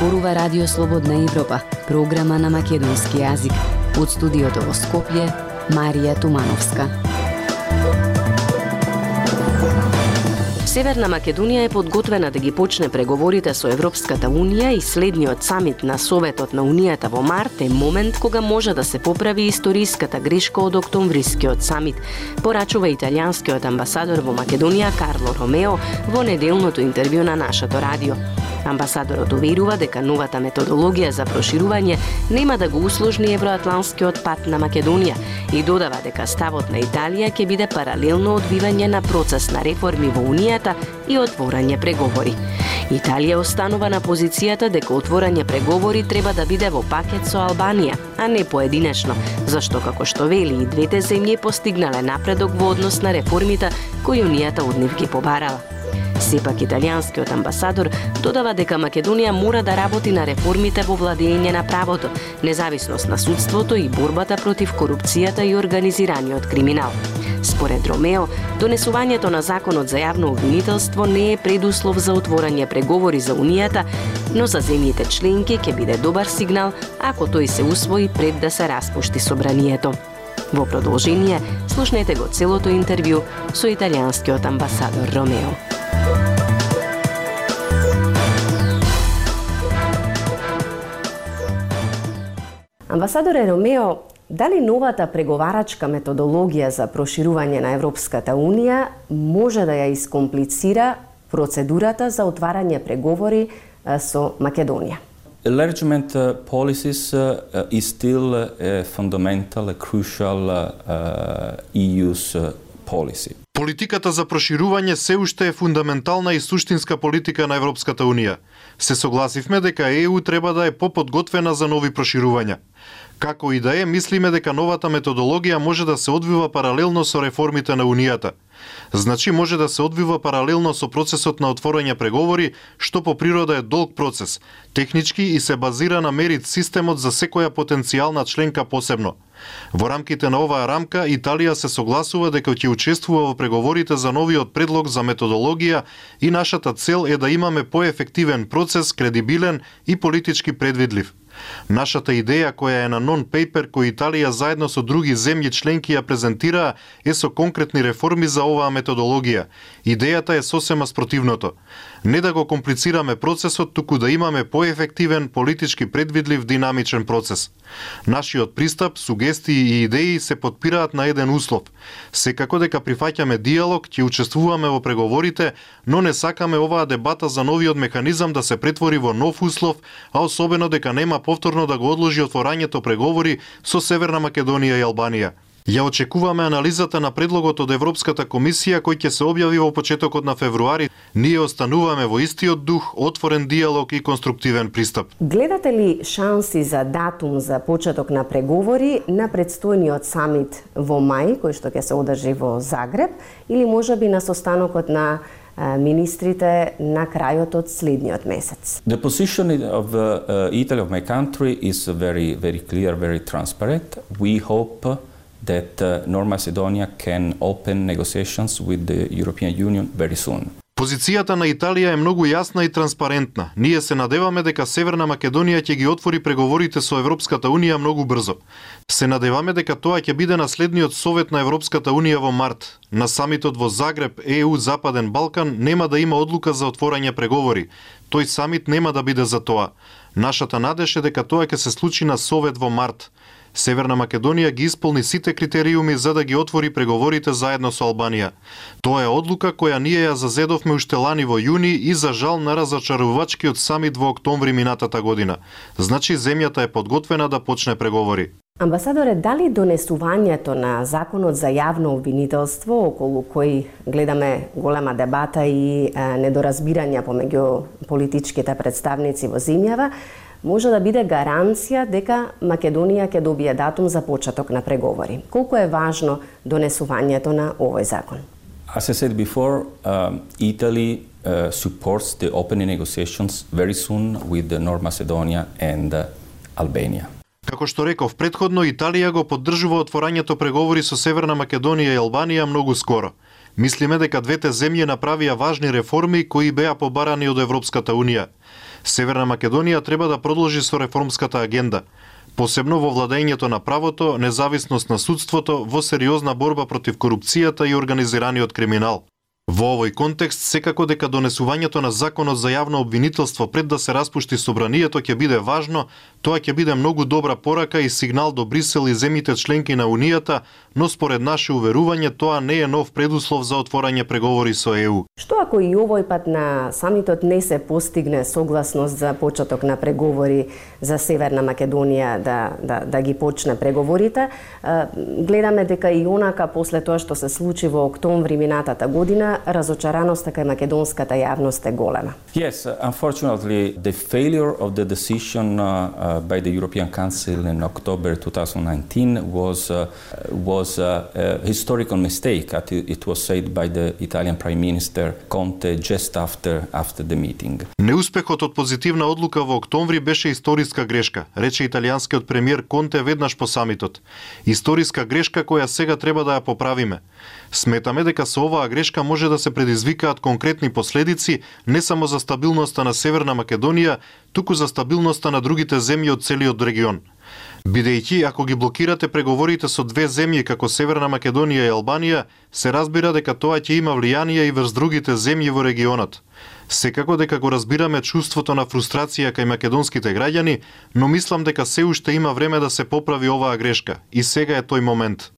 зборува Радио Слободна Европа, програма на македонски јазик. Од студиото во Скопје, Марија Тумановска. Северна Македонија е подготвена да ги почне преговорите со Европската Унија и следниот самит на Советот на Унијата во март е момент кога може да се поправи историската грешка од октомврискиот самит, порачува италијанскиот амбасадор во Македонија Карло Ромео во неделното интервју на нашето радио. Амбасадорот уверува дека новата методологија за проширување нема да го усложни евроатланскиот пат на Македонија и додава дека ставот на Италија ќе биде паралелно одвивање на процес на реформи во Унијата и отворање преговори. Италија останува на позицијата дека отворање преговори треба да биде во пакет со Албанија, а не поединечно, зашто како што вели и двете земји постигнале напредок во однос на реформите кои Унијата од нив ги побарала. Сепак италијанскиот амбасадор додава дека Македонија мора да работи на реформите во владење на правото, независност на судството и борбата против корупцијата и организираниот криминал. Според Ромео, донесувањето на законот за јавно обвинителство не е предуслов за отворање преговори за Унијата, но за земјите членки ќе биде добар сигнал ако тој се усвои пред да се распушти собранието. Во продолжение, слушнете го целото интервју со италијанскиот амбасадор Ромео. Амбасадоре Ромео, дали новата преговарачка методологија за проширување на Европската Унија може да ја искомплицира процедурата за отварање преговори со Македонија? Enlargement policies is still a fundamental, a crucial EU's policy. Политиката за проширување се уште е фундаментална и суштинска политика на Европската Унија. Се согласивме дека ЕУ треба да е поподготвена за нови проширувања. Како и да е, мислиме дека новата методологија може да се одвива паралелно со реформите на Унијата. Значи може да се одвива паралелно со процесот на отворање преговори, што по природа е долг процес, технички и се базира на мерит системот за секоја потенцијална членка посебно. Во рамките на оваа рамка, Италија се согласува дека ќе учествува во преговорите за новиот предлог за методологија и нашата цел е да имаме поефективен процес, кредибилен и политички предвидлив. Нашата идеја, која е на нон-пейпер кој Италија заедно со други земји членки ја презентираа, е со конкретни реформи за оваа методологија. Идејата е сосема спротивното. Не да го комплицираме процесот, туку да имаме поефективен, политички предвидлив, динамичен процес. Нашиот пристап, сугестии и идеи се подпираат на еден услов. Секако дека прифаќаме диалог, ќе учествуваме во преговорите, но не сакаме оваа дебата за новиот механизам да се претвори во нов услов, а особено дека нема повторно да го одложи отворањето преговори со Северна Македонија и Албанија. Ја очекуваме анализата на предлогот од Европската комисија кој ќе се објави во почетокот на февруари. Ние остануваме во истиот дух, отворен диалог и конструктивен пристап. Гледате ли шанси за датум за почеток на преговори на предстојниот самит во мај, кој што ќе се одржи во Загреб, или можеби на состанокот на министрите на крајот од следниот месец? The position of Italy, of my country, is very clear, very transparent. We hope that North Macedonia can open negotiations with the European Union very soon. Позицијата на Италија е многу јасна и транспарентна. Ние се надеваме дека Северна Македонија ќе ги отвори преговорите со Европската Унија многу брзо. Се надеваме дека тоа ќе биде на следниот совет на Европската Унија во март. На самитот во Загреб, ЕУ Западен Балкан нема да има одлука за отворање преговори. Тој самит нема да биде за тоа. Нашата надеж е дека тоа ќе се случи на совет во март. Северна Македонија ги исполни сите критериуми за да ги отвори преговорите заедно со Албанија. Тоа е одлука која ние ја зазедовме уште лани во јуни и за жал на разочарувачкиот самит во октомври минатата година. Значи земјата е подготвена да почне преговори. Амбасадоре, дали донесувањето на законот за јавно обвинителство, околу кој гледаме голема дебата и недоразбирања помеѓу политичките представници во земјава, може да биде гаранција дека Македонија ќе добие датум за почеток на преговори? Колку е важно донесувањето на овој закон? As I said before, Italy supports the opening negotiations very soon with North Macedonia and Albania. Како што реков претходно, Италија го поддржува отворањето преговори со Северна Македонија и Албанија многу скоро. Мислиме дека двете земји направија важни реформи кои беа побарани од Европската Унија. Северна Македонија треба да продолжи со реформската агенда, посебно во владењето на правото, независност на судството, во сериозна борба против корупцијата и организираниот криминал. Во овој контекст, секако дека донесувањето на законот за јавно обвинителство пред да се распушти собранието ќе биде важно, тоа ќе биде многу добра порака и сигнал до Брисел и земјите членки на Унијата, но според наше уверување тоа не е нов предуслов за отворање преговори со ЕУ. Што ако и овој пат на самитот не се постигне согласност за почеток на преговори за Северна Македонија да ги почне преговорите? Гледаме дека и онака после тоа што се случи во октомври минатата година, разочараноста кај македонската јавност е голема. Yes, unfortunately, the failure of the decision by the European Council in October 2019 was a historical mistake, as it was said by the Italian Prime Minister Conte just after the meeting. Неуспехот од позитивна одлука во октомври беше историска грешка, рече италијанскиот премиер Конте веднаш по самитот. Историска грешка која сега треба да ја поправиме. Сметаме дека со оваа грешка може да се предизвикаат конкретни последици не само за стабилноста на Северна Македонија, туку за стабилноста на другите земји од целиот регион. Бидејќи, ако ги блокирате преговорите со две земји како Северна Македонија и Албанија, се разбира дека тоа ќе има влијание и врз другите земји во регионот. Секако дека го разбираме чувството на фрустрација кај македонските граѓани, но мислам дека се уште има време да се поправи оваа грешка и сега е тој момент.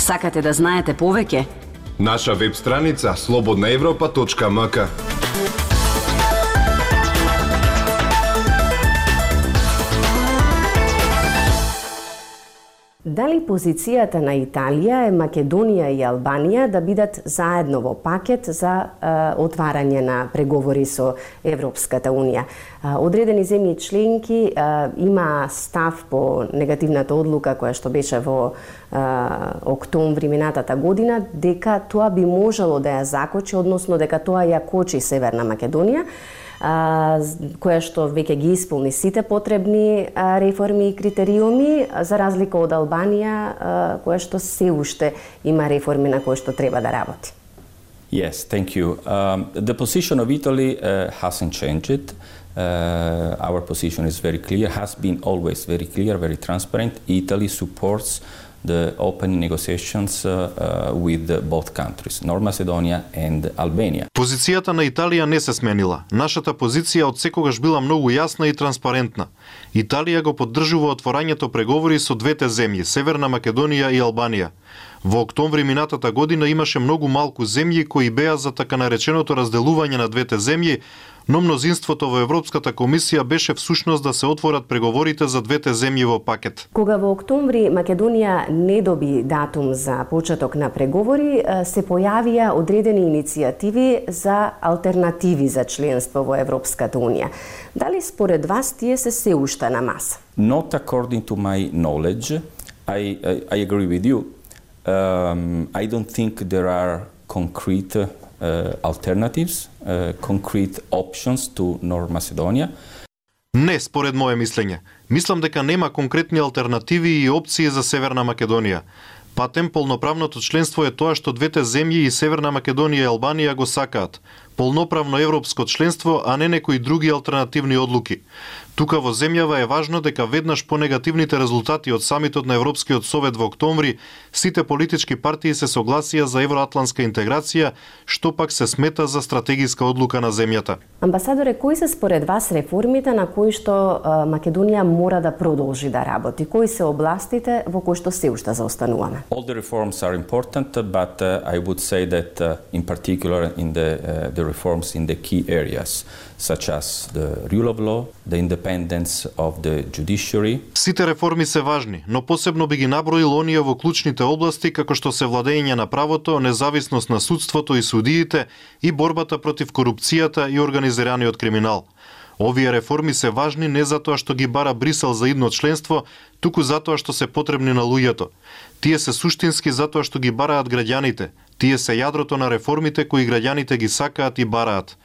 Сакате да знаете повеќе? Наша веб страница slobodnaevropa.mk. Дали позицијата на Италија е Македонија и Албанија да бидат заедно во пакет за отварање на преговори со Европската Унија? Одредени земји членки има став по негативната одлука која што беше во октомври минатата година дека тоа би можело да ја закочи, односно дека тоа ја кочи Северна Македонија, која што веќе ги исполни сите потребни реформи и критериуми, за разлика од Албанија, која што се уште има реформи на кои што треба да работи. Yes, thank you. The position of Italy hasn't changed. Our position is very clear, has been always very clear, very transparent. Italy supports the open negotiations with both countries, North Macedonia and Albania. Позицијата на Италија не се сменила. Нашата позиција од секогаш била многу јасна и транспарентна. Италија го поддржува отворањето преговори со двете земји, Северна Македонија и Албанија. Во октомври минатата година имаше многу малку земји кои беа за така нареченото разделување на двете земји, но мнозинството во Европската комисија беше всушност да се отворат преговорите за двете земји во пакет. Кога во октомври Македонија не доби датум за почеток на преговори, се појавија одредени иницијативи за алтернативи за членство во Европската Унија. Дали според вас тие се уште на маса? Not according to my knowledge. I agree with you. I don't think there are concrete alternatives, concrete options to North Macedonia. Не, според мое мислење. Мислам дека нема конкретни алтернативи и опции за Северна Македонија. Патем полноправното членство е тоа што двете земји и Северна Македонија и Албанија го сакаат. Полноправно европско членство, а не некои други алтернативни одлуки. Тука во земјава е важно дека веднаш по негативните резултати од самитот на Европскиот совет во октомври, сите политички партии се согласија за евроатлантска интеграција, што пак се смета за стратегиска одлука на земјата. Амбасадоре, кои се според вас реформите на кои што Македонија мора да продолжи да работи? Кои се областите во кои што се уште заостануваме? All the reforms are important, but I would say that in particular in the reforms in the key areas, such as the rule of law, the independence of the judiciary. Сите реформи се важни, но посебно би ги наброил оние во клучните области како што се владење на правото, независност на судството и судиите и борбата против корупцијата и организираниот криминал. Овие реформи се важни не затоа што ги бара Брисел за идно членство, туку затоа што се потребни на луѓето. Тие се суштински затоа што ги бараат граѓаните. Тие се јадрото на реформите кои граѓаните ги сакаат и бараат.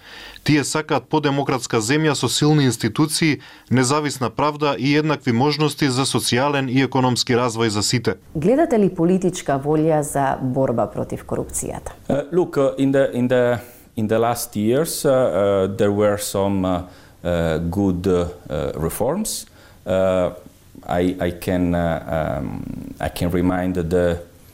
Тие сакаат подемократска земја со силни институции, независна правда и еднакви можности за социјален и економски развој за сите. Гледате ли политичка волја за борба против корупцијата? Look, In the last years, there were some good reforms. I can remind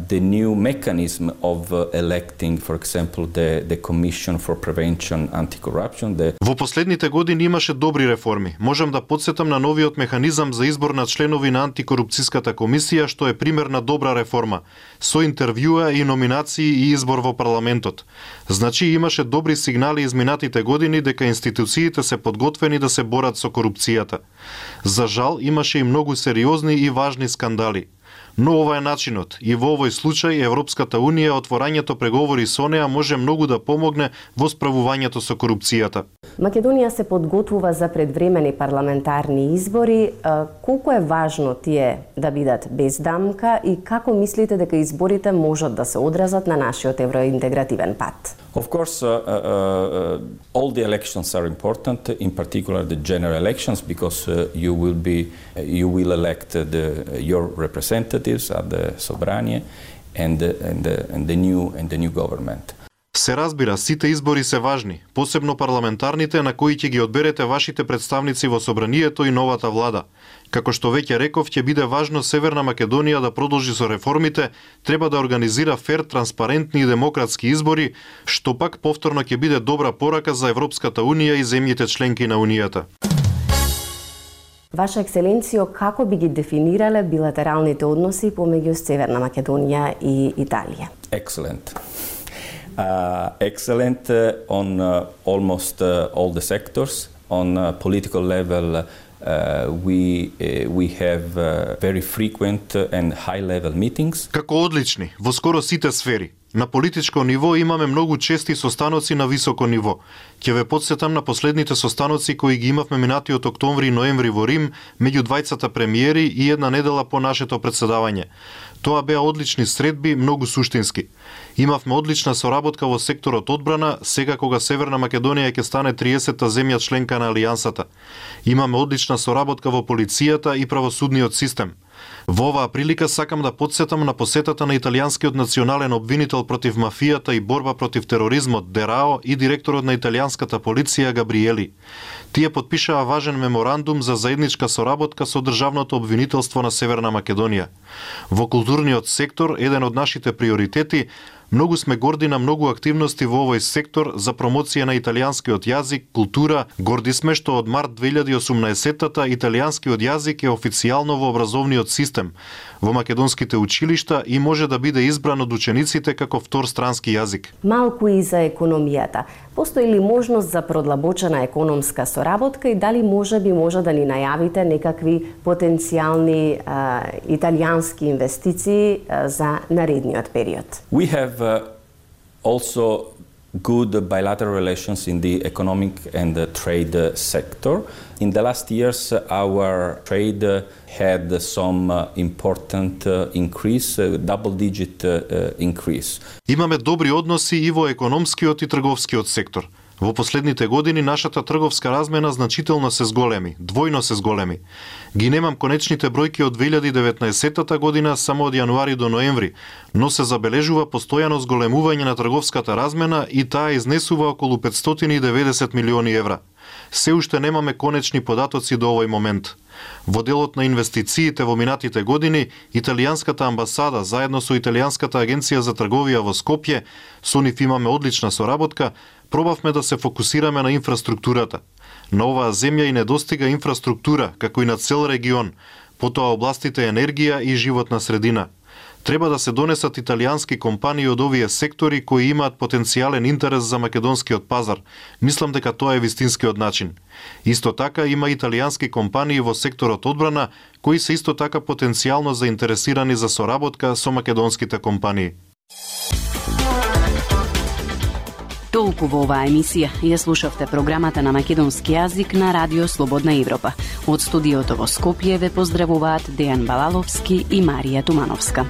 the new mechanism of electing, for example, the Commission for Prevention Anti-Corruption. Во последните години имаше добри реформи. Можам да подсетам на новиот механизам за избор на членови на антикорупцијската комисија, што е пример на добра реформа, со интервјуа и номинации и избор во парламентот. Значи имаше добри сигнали изминатите години дека институциите се подготвени да се борат со корупцијата. За жал имаше и многу сериозни и важни скандали. Но ова е начинот и во овој случај Европската Унија отворањето преговори со неа може многу да помогне во справувањето со корупцијата. Македонија се подготвува за предвремени парламентарни избори. Колку е важно тие да бидат без дамка и како мислите дека изборите можат да се одразат на нашиот евроинтегративен пат? Of course, all the elections are important, in particular the general elections, because you will elect your representatives at the Sobranie and the new government. Се разбира, сите избори се важни, посебно парламентарните на кои ќе ги одберете вашите представници во Собранието и новата влада. Како што веќе реков, ќе биде важно Северна Македонија да продолжи со реформите, треба да организира фер, транспарентни и демократски избори, што пак повторно ќе биде добра порака за Европската Унија и земјите членки на Унијата. Ваша екселенцијо, како би ги дефинирале билатералните односи помеѓу Северна Македонија и Италија? Excellent. Excellent on almost all the sectors. On political level, we have very frequent and high-level meetings. Како одлични, во скоро сите сфери. На политичко ниво имаме многу чести состаноци на високо ниво. Ќе ве подсетам на последните состаноци кои ги имавме минатиот октомври и ноември во Рим, меѓу двајцата премиери и една недела по нашето председавање. Тоа беа одлични средби, многу суштински. Имавме одлична соработка во секторот одбрана, сега кога Северна Македонија ќе стане 30-та земја членка на Алијансата. Имаме одлична соработка во полицијата и правосудниот систем. Во оваа прилика сакам да подсетам на посетата на италијанскиот национален обвинител против мафијата и борба против тероризмот Дерао и директорот на италијанската полиција Габриели. Тие потпишаа важен меморандум за заедничка соработка со државното обвинителство на Северна Македонија. Во културниот сектор, еден од нашите приоритети, многу сме горди на многу активности во овој сектор за промоција на италијанскиот јазик, култура. Горди сме што од март 2018-та италијанскиот јазик е официјално во образовниот систем во македонските училишта и може да биде избран од учениците како втор странски јазик. Малку и за економијата. Постои ли можност за продлабочена економска соработка и дали може да ни најавите некакви потенцијални италијански инвестиции за наредниот период? We have also good bilateral relations in the economic and trade sector. In the last years, our trade had some important increase, double-digit increase. Имаме добри односи и во економскиот и трговскиот сектор. Во последните години нашата трговска размена значително се зголеми, двојно се зголеми. Ги немам конечните бројки од 2019 година само од јануари до ноември, но се забележува постојано зголемување на трговската размена и таа изнесува околу 590 милиони евра. Се уште немаме конечни податоци до овој момент. Во делот на инвестициите во минатите години, италијанската амбасада заедно со италијанската агенција за трговија во Скопје, со нив имаме одлична соработка, пробавме да се фокусираме на инфраструктурата. На оваа земја и недостига инфраструктура, како и на цел регион, потоа областите енергија и животна средина. Треба да се донесат италијански компании од овие сектори кои имаат потенцијален интерес за македонскиот пазар. Мислам дека тоа е вистинскиот начин. Исто така има италијански компании во секторот одбрана кои се исто така потенцијално заинтересирани за соработка со македонските компании. Толку во оваа емисија. Ја слушавте програмата на македонски јазик на Радио Слободна Европа. Од студиото во Скопје ве поздравуваат Дејан Балаловски и Марија Тумановска.